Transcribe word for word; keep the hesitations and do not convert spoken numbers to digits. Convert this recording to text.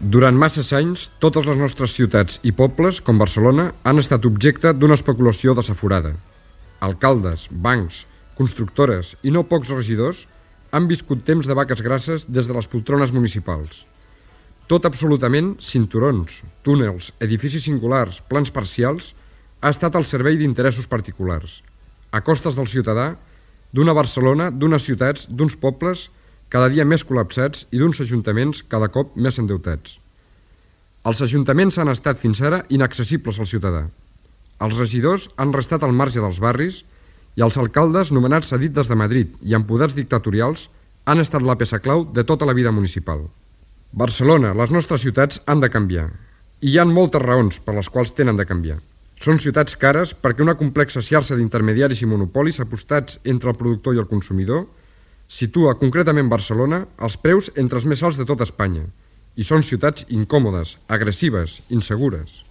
Durant masses anys, totes les nostres ciutats i pobles, com Barcelona, han estat objecte d'una especulació desaforada. Alcaldes, bancs, constructores i no pocs regidors han viscut temps de vaques grasses des de les poltrones municipals. Tot absolutament, cinturons, túnels, edificis singulars, plans parcials, ha estat al servei d'interessos particulars, a costes del ciutadà, d'una Barcelona, d'unes ciutats, d'uns pobles cada dia més col·lapsats i d'uns ajuntaments cada cop més endeutats. Els ajuntaments han estat fins ara inaccessibles al ciutadà. Els regidors han restat al marge dels barris i els alcaldes nomenats a dit des de Madrid i amb poders dictatorials han estat la peça clau de tota la vida municipal. Barcelona, les nostres ciutats han de canviar. I hi ha moltes raons per les quals tenen de canviar. Són ciutats cares perquè una complexa xarxa d'intermediaris i monopolis apostats entre el productor i el consumidor situa concretament Barcelona els preus entre els més alts de tot Espanya i són ciutats incòmodes, agressives, insegures.